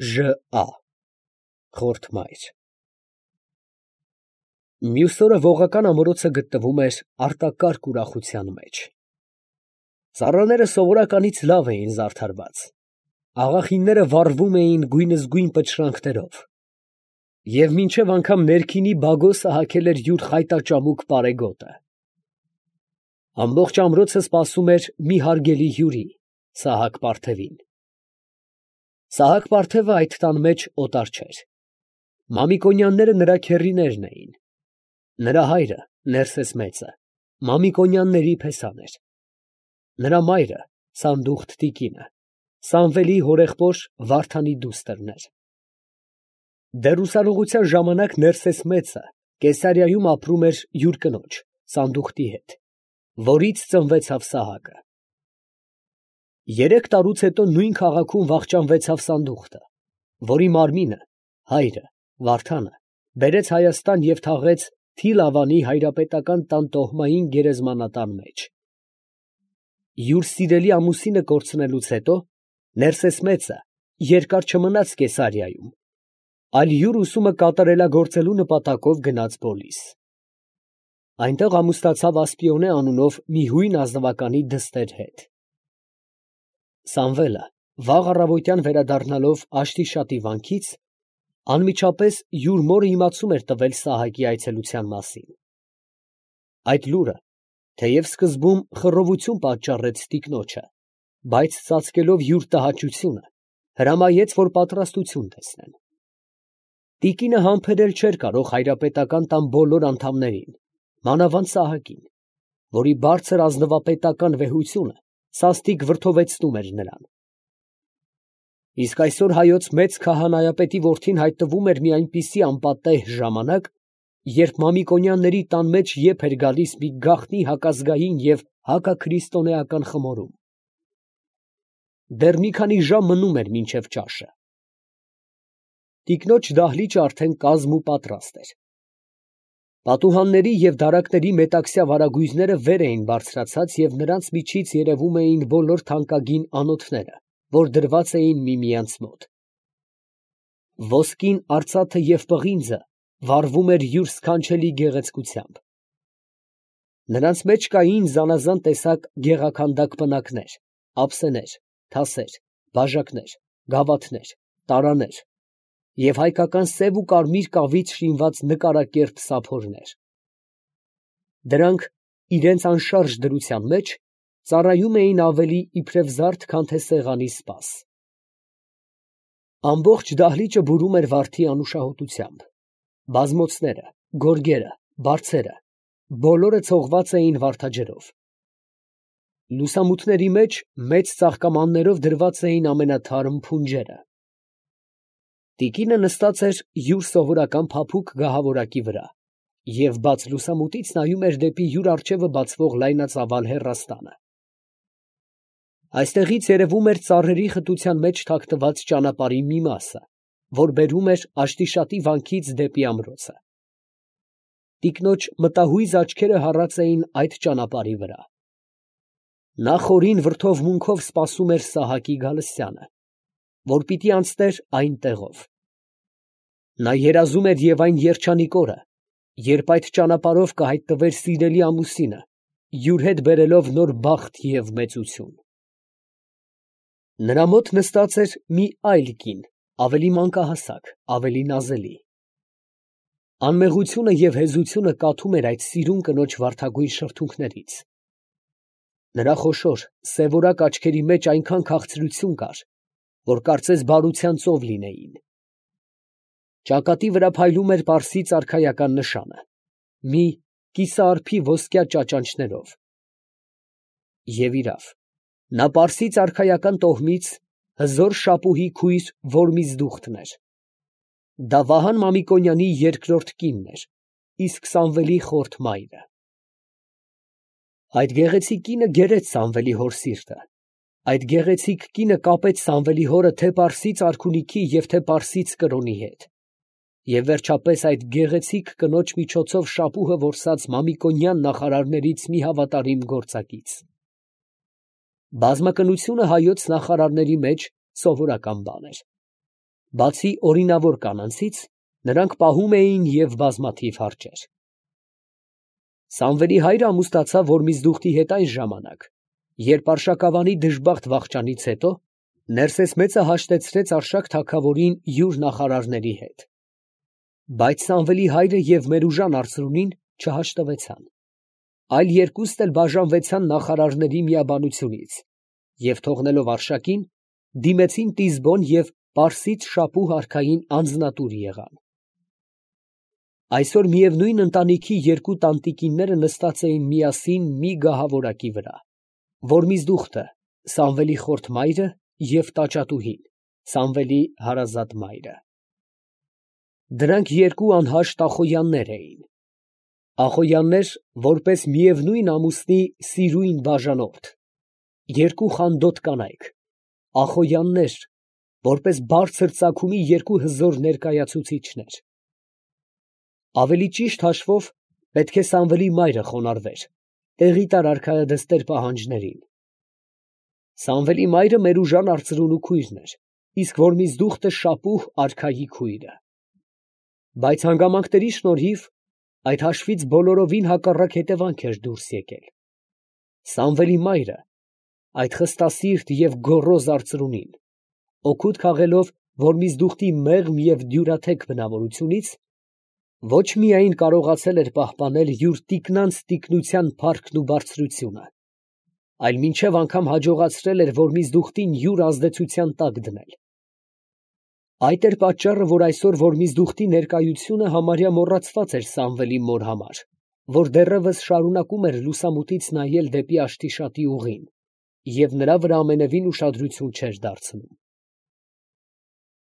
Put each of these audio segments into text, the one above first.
Ժ.Ա. Խորթ մայր։ Մյուս օրը ողական ամրոցը գտնվում էր արտակարգ ուրախության մեջ։ Ծառաները սովորականից լավ էին զարդարված, աղախինները վառվում էին գույնզգույն պտրանքներով, և մինչև անգամ ներքինի բագոսը հագել էր յուր խայտաճամուկ պարեգոտը։ Ամբողջ ամրոցը սպասում էր մի հարգելի հյուրի՝ Սահակ֊Պարթևին։ Սահակ֊Պարթևը այդ տան մեջ օտար չէր։ Մամիկոնյանները նրա քեռիներն էին։ Նրա հայրը՝ Ներսես մեծը, Մամիկոնյանների փեսան էր։ Նրա մայրը՝ Սանդուխտ տիկինը, Սամվելի հորեղբոր Վարդանի դուստրն էր։ Դեռ ուսանողության ժամանակ Ներսես մեծը Կեսարիայում ապրում էր յուր կնոջ՝ Սանդուխտի հետ, որից ծնվեցավ Սահակը։ 3 տարուց հետո նույն քաղաքում վախճանվեցավ Սանդուխտը, որի մարմինը հայրը՝ Վարդանը բերեց Հայաստան և թաղեց Թիլավանի հայրապետական տան տոհմային գերեզմանատան մեջ։ Յուր սիրելի ամուսինը կորցնելուց հետո Ներսես մեծը երկար չմնաց Կեսարիայում, այլ յուր ուսումը կատարելագործելու նպատակով գնաց Պոլիս։ Այնտեղ ամուսնացավ Ասպիոնե անունով մի հույն ազնվականի դստեր հետ։ Սամվելը վաղ առավոտյան վերադառնալով Աշտիշատի վանքից, անմիջապես յուր մորը իմացում էր տվել Սահակի այցելության մասին։ Այդ լուրը, թեև սկզբում խռովություն պատճառեց տիկնոջը, բայց ծածկելով յուր տհաճությունը, հրամայեց, որ պատրաստություն տեսնեն։ Տիկինը համբերել չէր կարող հայրապետական տան բոլոր անդամներին, մանավանդ Սահակին, որի բարձր ազնվապետական վեհությունը սաստիկ վրդովեցնում էր նրան։ Իսկ այսօր հայոց մեծ քահանայապետի որդին հայտնվում էր մի այնպիսի անպատեհ ժամանակ, երբ Մամիկոնյանների տան մեջ եփ էր գալիս մի գաղտնի հակազգային և հակաքրիստոնեական խմորում։ Դեռ մի քանի ժամ մնում էր մինչև ճաշը։ Տիկնոջ դահլիճը արդեն կազմ ու պատրաստ էր։ Պատուհանների և դարակների մետաքսյա վարագույրները վեր էին բարձրացած և նրանց միջից երևում էին բոլոր թանկագին անոթները, որ դրված էին միմյանց մոտ։ Ոսկին, արծաթը և պղինձը վառվում էր յուր սքանչելի գեղեցկությամբ։ Նրանց մեջ կային զանազան տեսակ գեղաքանդակ պնակներ, ափսեներ, թասեր, բաժակներ, գավաթներ, տարաներ և հայկական սև ու կարմիր կավից շինված նկարակերպ սափորներ։ Դրանք իրենց անշարժ դրության մեջ ծառայում էին ավելի իբրև զարդ, քան թե սեղանի սպաս։ Ամբողջ դահլիճը բուրում էր վարդի անուշահոտությամբ։ Բազմոցները, գորգերը, բարձերը բոլորը ցողված էին վարդաջրով։ Լուսամուտների մեջ մեծ ծաղկամաններով դրված էին ամենաթարմ փունջերը։ Տիկինը նստած էր յուր սովորական փափուկ գահավորակի վրա և բաց լուսամուտից նայում էր դեպի յուր առջևը բացվող լայնածավալ հեռաստանը։ Այստեղից երևում էր ծառերի խտության մեջ թաքնված ճանապարհի մի մասը, որ բերում էր Աշտիշատի վանքից դեպի ամրոցը։ Տիկնոջ մտահույզ աչքերը հառած էին այդ ճանապարհի վրա։ Նա խորին վրդովմունքով սպասում էր Սահակի գալստյանը, որ պիտի անցներ այն տեղով։ Նա երազում էր և այն երջանիկ օրը, երբ այդ ճանապարհով կհայտնվեր սիրելի ամուսինը, յուր հետ բերելով նոր բախտ և մեծություն։ Նրա մոտ նստած էր մի այլ կին, ավելի մանկահասակ, ավելի նազելի։ Անմեղությունը և հեզությունը կաթում էր այդ սիրուն կնոջ վարդագույն շրթունքներից։ Նրա խոշոր, սևորակ աչքերի մեջ այնքան քաղցրություն կար, որ կարծես բարության ծով լինեին։ Ճակատի վրա փայլում էր պարսից արքայական նշանը՝ մի կիսարփի ոսկյա ճաճանճներով։ Եվ իրավ, նա պարսից արքայական տոհմից հզոր շապուհի քույր Որմիզդուխտն էր։ Դա Վահան Մամիկոնյանի երկրորդ կինն էր, իսկ Սամվելի խորթ մայրը։ Այդ գեղեցիկ կինը գերեց Սամվելի հոր սիրտը։ Այդ գեղեցիկ կինը կապեց Սամվելի հորը թե պարսից արքունիքի և թե պարսից կրոնի հետ։ Եվ վերջապես այդ գեղեցիկ կնոջ միջոցով շապուհը որսաց Մամիկոնյան նախարարներից մի հավատարիմ գործակից։ Բազմակնությունը հայոց նախարարների մեջ սովորական բան էր։ Բացի օրինավոր կանանցից, նրանք պահում էին և բազմաթիվ հարճեր։ Սամվելի հայրը ամուսնացավ Որմիզդուխտի հետ այն ժամանակ, երբ Արշակավանի դժբախտ վախճանից հետո Ներսես մեծը հաշտեցրեց Արշակ թագավորին յուր նախարարների հետ։ Բայց Սամվելի հայրը և Մերուժան արծրունին չհաշտվեցան, այլ երկուստ էլ բաժանվեցան նախարարների միաբանությունից և թողնելով Արշակին, դիմեցին Տիզբոն և Պարսից Շապուհ արքային անձնատուր եղան։ Այսօր միևնույն ընտանիքի երկու տանտիկինները նստած էին միասին մի գահավորակի վրա, Որմիզդուխտը, Սամվելի խորթ մայրը և տաճատուհին, Սամվելի հարազատ մայրը։ Դրանք երկու անհաշտ Ախոյաններ էին։ Ախոյաններ, որպես միևնույն ամուսնի սիրույն բաժանորդ, երկու խանդոտ կանայք, Ախոյաններ, որպես բարձր ծագումի երկու հզոր ներկայացուցիչներ։ Ավելի ճիշտ հաշվով, պետք է Սամվելի մայրը խոնարհվեր, տեղի տար արքայադստեր պահանջներին։ Սամվելի մայրը Մերուժան արծրունու քույրն էր, իսկ Որմիզդուխտը Շապուհ արքայի քույրը։ Բայց հանգամանքների շնորհիվ այդ հաշվից բոլորովին հակառակ հետևանք էր դուրս եկել։ Սամվելի մայրը, այդ խստասիրտ և գոռոզ արծրունին, օգուտ քաղելով Որմիզդուխտի մեղմ և դյուրաթեք բնավորությունից, ոչ միայն կարողացել էր պահպանել յուր տիկնանց տիկնության փառքն ու բարձրությունը, այլ մինչև անգամ հաջողացրել էր Որմիզդուխտին յուր ազդեցության տակ դնել։ Այդ էր պատճառը, որ այսօր Որմիզդուխտի ներկայությունը համարյա մոռացված էր Սամվելի մոր համար, որ դեռևս շարունակում էր լուսամուտից նայել դեպի Աշտիշատի ուղին և նրա վրա ամենևին ուշադրություն չէր դարձնում։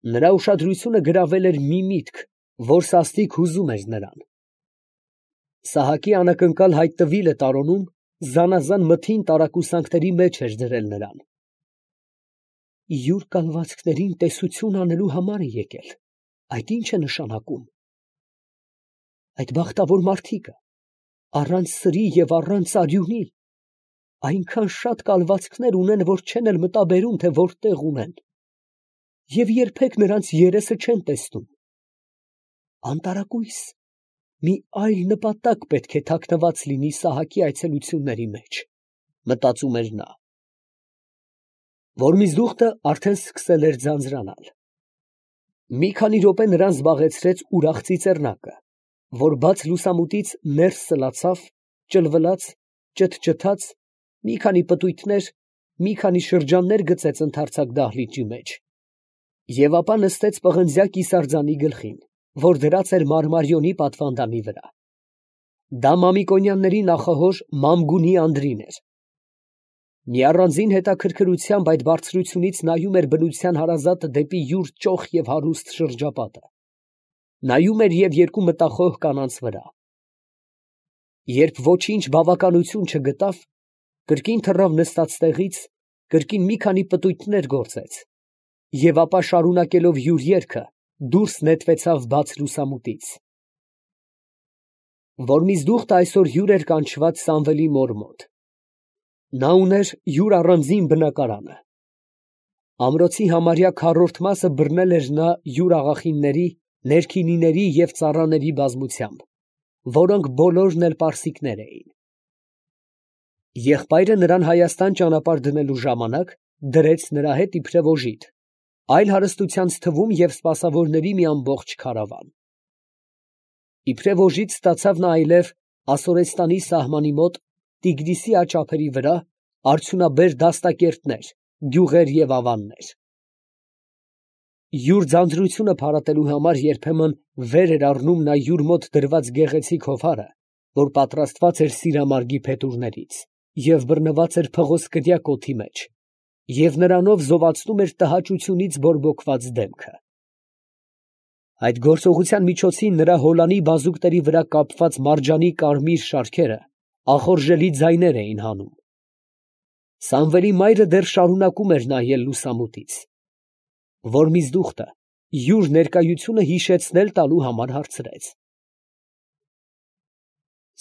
Նրա ուշադրությունը գրավել էր մի միտք, որ սաստիկ հուզում էր նրան։ Սահակի անակնկալ հայտնվիլը տարոնում զանազան մթին տարակուսանքների մեջ էր դրել նրան։ Յուր կալվածքներին տեսություն անելու համար է եկել, այդ ի՞նչ է նշանակում։ Այդ բախտավոր մարդիկը, առանց սրի և առանց արյունի, այնքան շատ կալվածքներ ունեն, որ չեն էլ մտաբերում, թե որտեղ ունեն, և երբեք նրանց երեսը չեն տեսնում։ Անտարակույս, մի այլ նպատակ պետք է թաքնված լինի Սահակի այցելությունների մեջ, մտածում էր նա։ Որմիզդուխտը արդեն սկսել էր ձանձրանալ։ Մի քանի րոպե նրան զբաղեցրեց ուրախ ծիծեռնակը, որ բաց լուսամուտից ներս սլացավ, ճլվլաց, ճթճթաց, մի քանի պտույտներ, մի քանի շրջաններ գծեց ընդարձակ դահլիճի մեջ, և ապա նստեց պղնձյա կիսարձանի գլխին, որ դրած էր մարմարիոնի պատվանդանի վրա։ Դա Մամիկոնյանների նախահոր Մամգունի Անդրին էր։ Մի առանձին հետաքրքրությամբ այդ բարձրությունից նայում էր բնության հարազատը դեպի յուր ճոխ և հարուստ շրջապատը, նայում էր և երկու մտախոհ կանանց վրա։ Երբ ոչինչ բավականություն չգտավ, կրկին թռավ նստած տեղից, կրկին մի քանի պտույտներ գործեց և ապա շարունակելով յուր երգը, դուրս նետվեցավ բաց լուսամուտից։ Որմիզդուխտը այսօր հյուր էր կանչված Սամվելի մոր մոտ։ Նա ուներ յուր առանձին բնակարանը։ Ամրոցի համարյա քառորդ մասը բռնել էր նա յուր աղախինների, ներքինիների և ծառաների բազմությամբ, որոնք բոլորն էլ պարսիկներ էին։ Եղբայրը նրան Հայաստան ճանապարհ դնելու ժամանակ դրեց նրա հետ իբրև օժիտ, այլ հարստությանց թվում և սպասավորների մի ամբողջ քարավան։ Իբրև օժիտ ստացավ նա այլև Ասորեստանի սահմանի մոտ Տիգրիսի աջ ափերի վրա արդյունաբեր դաստակերտներ, գյուղեր և ավաններ։ Յուր ձանձրությունը փարատելու համար երբեմն վեր էր առնում նա յուր մոտ դրված գեղեցիկ հովհարը, որ պատրաստված էր սիրամարգի փետուրներից և բռնված էր փղոսկրյա կոթի մեջ, և նրանով զովացնում էր տհաճությունից բորբոքված դեմքը։ Այդ գործողության միջոցին նրա հոլանի բազուկների վրա կապված մարջանի կարմիր շարքերը ախորժելի ձայներ էին հանում։ Սամվելի մայրը դեռ շարունակում էր նայել լուսամուտից։ Որմիզդուխտը յուր ներկայությունը հիշեցնել տալու համար հարցրեց.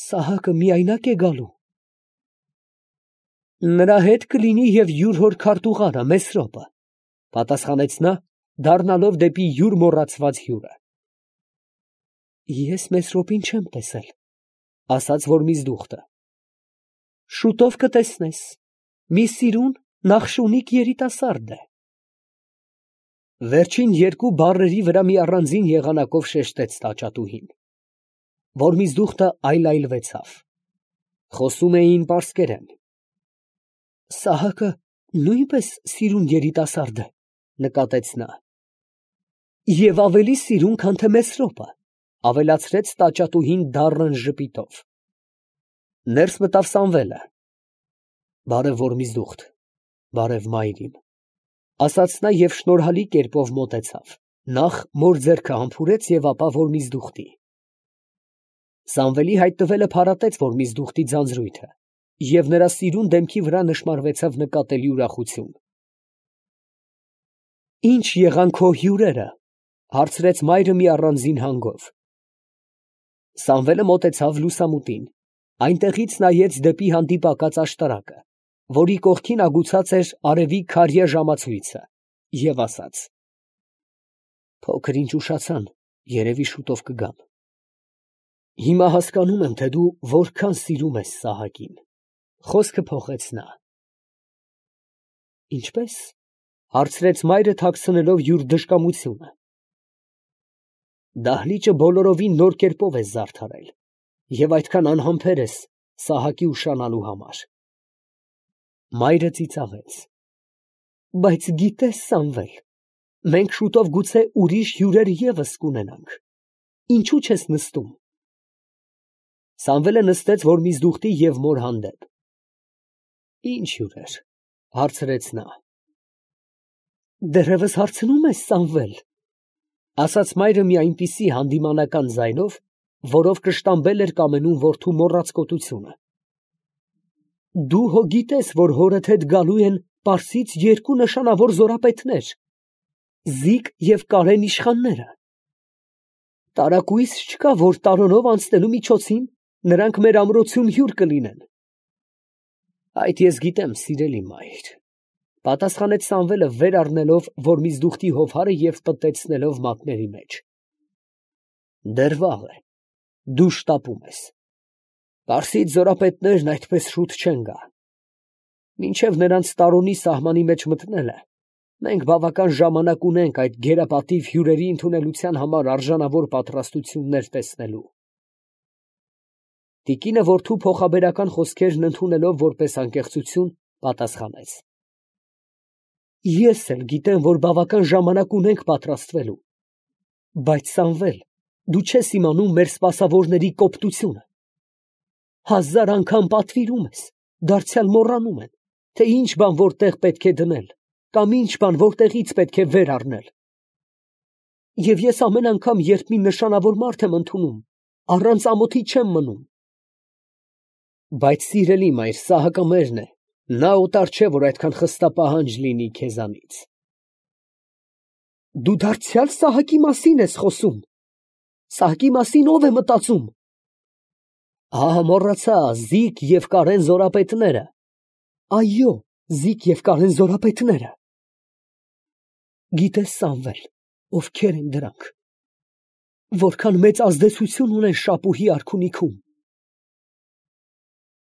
Սահակը միայնակ է գալու։ Նրա հետ կլինի և յուր հոր քարտուղարը Մեսրոպը, պատասխանեց նա, դառնալով դեպի յուր մոռացված հյուրը։ Ես Մեսրոպին չեմ տեսել, ասաց Որմիզդուխտը։ Շուտով կտեսնես, մի սիրուն նախշունիկ երիտասարդ է։ Վերջին երկու բառերի վրա մի առանձին եղանակով շեշտեց տաճատուհին։ Որմիզդուխտը այլայլվեցավ։ Խոսում էին պարսկերեն։ Սահակը նույնպես սիրուն երիտասարդ է, նկատեց նա։ Եվ ավելի սիրուն, քան թե Մեսրոպը, ավելացրեց տաճատուհին դառն ժպիտով։ Ներս մտավ Սամվելը։ Բարև Որմիզդուխտ, բարև մայրին, ասաց նա և շնորհալի կերպով մոտեցավ, նախ մոր ձեռքը համբուրեց և ապա Որմիզդուխտի։ Սամվելի հայտնվելը փարատեց Որմիզդուխտի ձանձրույթը, և նրա սիրուն դեմքի վրա նշմարվեցավ նկատելի ուրախություն։ Ի՞նչ եղան քո հյուրերը, հարցրեց մայրը մի առանձին հանգով։ Սամվելը մոտեցավ լուսամուտին, այնտեղից նայեց դեպի հանդիպակաց աշտարակը, որի կողքին ագուցած էր արևի քարյա ժամացույցը, և ասաց. Փոքր ինչ ուշացան, երևի շուտով կգան։ Հիմա հասկանում եմ, թե դու որքան սիրում ես Սահակին, խոսքը փոխեց նա։ Ինչպե՞ս, հարցրեց մայրը թաքցնելով յուր դժկամությունը։ Դահլիճը բոլորովին նոր կերպով ես զարդարել և այդքան անհամբեր ես Սահակի ուշանալու համար։ Մայրը ծիծաղեց։ Բայց գիտես, Սամվել, մենք շուտով գուցե ուրիշ հյուրեր ևս կունենանք, ինչու չես նստում։ Սամվելը նստեց Որմիզդուխտի և մոր հանդեպ։ Ինչ հյուրեր, հարցրեց նա։ Դեռևս հարցնում ես, Սամվել, ասաց մայրը մի այնպիսի հանդիմանական ձայնով, որով կշտամբել էր կամենում որդու մոռացկոտությունը։ Դու հո գիտես, որ հորդ հետ գալու են Պարսից երկու նշանավոր զորապետներ, Զիկ և Կարեն իշխանները։ Տարակույս չկա, որ տարոնով անցնելու միջոցին նրանք մեր ամրոցում հյուր կլինեն։ Այդ ես գիտեմ, սիրելի մայր, պատասխանեց Սամվելը վեր առնելով Որմիզդուխտի հովհարը և պտտեցնելով մատների մեջ։ Դեռ վաղ է, դու շտապում ես։ Պարսից զորապետներն այդպես շուտ չեն գա։ Մինչև նրանց տարոնի սահմանի մեջ մտնելը, մենք բավական ժամանակ ունենք այդ գերապատիվ հյուրերի ընդունելության համար արժանավոր պատրաստություններ տեսնելու։ Տիկինը որդու փոխաբերական խոսքերն ընդունելով որպես անկեղծություն, պատասխանեց. Ես էլ գիտեմ, որ բավական ժամանակ ունենք պատրաստվելու, բայց Սամվել, դու չես իմանում մեր սպասավորների կոպտությունը։ 1000 անգամ պատվիրում ես, դարձյալ մոռանում են, թե ինչ բան որտեղ պետք է դնել, կամ ինչ բան որտեղից պետք է վեր առնել։ Եվ ես ամեն անգամ, երբ մի նշանավոր մարդ եմ ընդունում, առանց ամոթի չեմ մնում։ Բայց սիրելի մայր, Սահակը մերն է, նա օտար չէ, որ այդքան խստապահանջ լինի քեզանից։ Դու դարձյալ Սահակի մասին ես խոսում։ Սահակի մասին ով է մտածում։ Ահա մոռացա, Զիկ և Կարեն զորապետները։ Այո, Զիկ և Կարեն զորապետները։ Գիտես, Սամվել, ովքեր են դրանք։ Որքան մեծ ազդեցություն ունեն Շապուհի արքունիքում։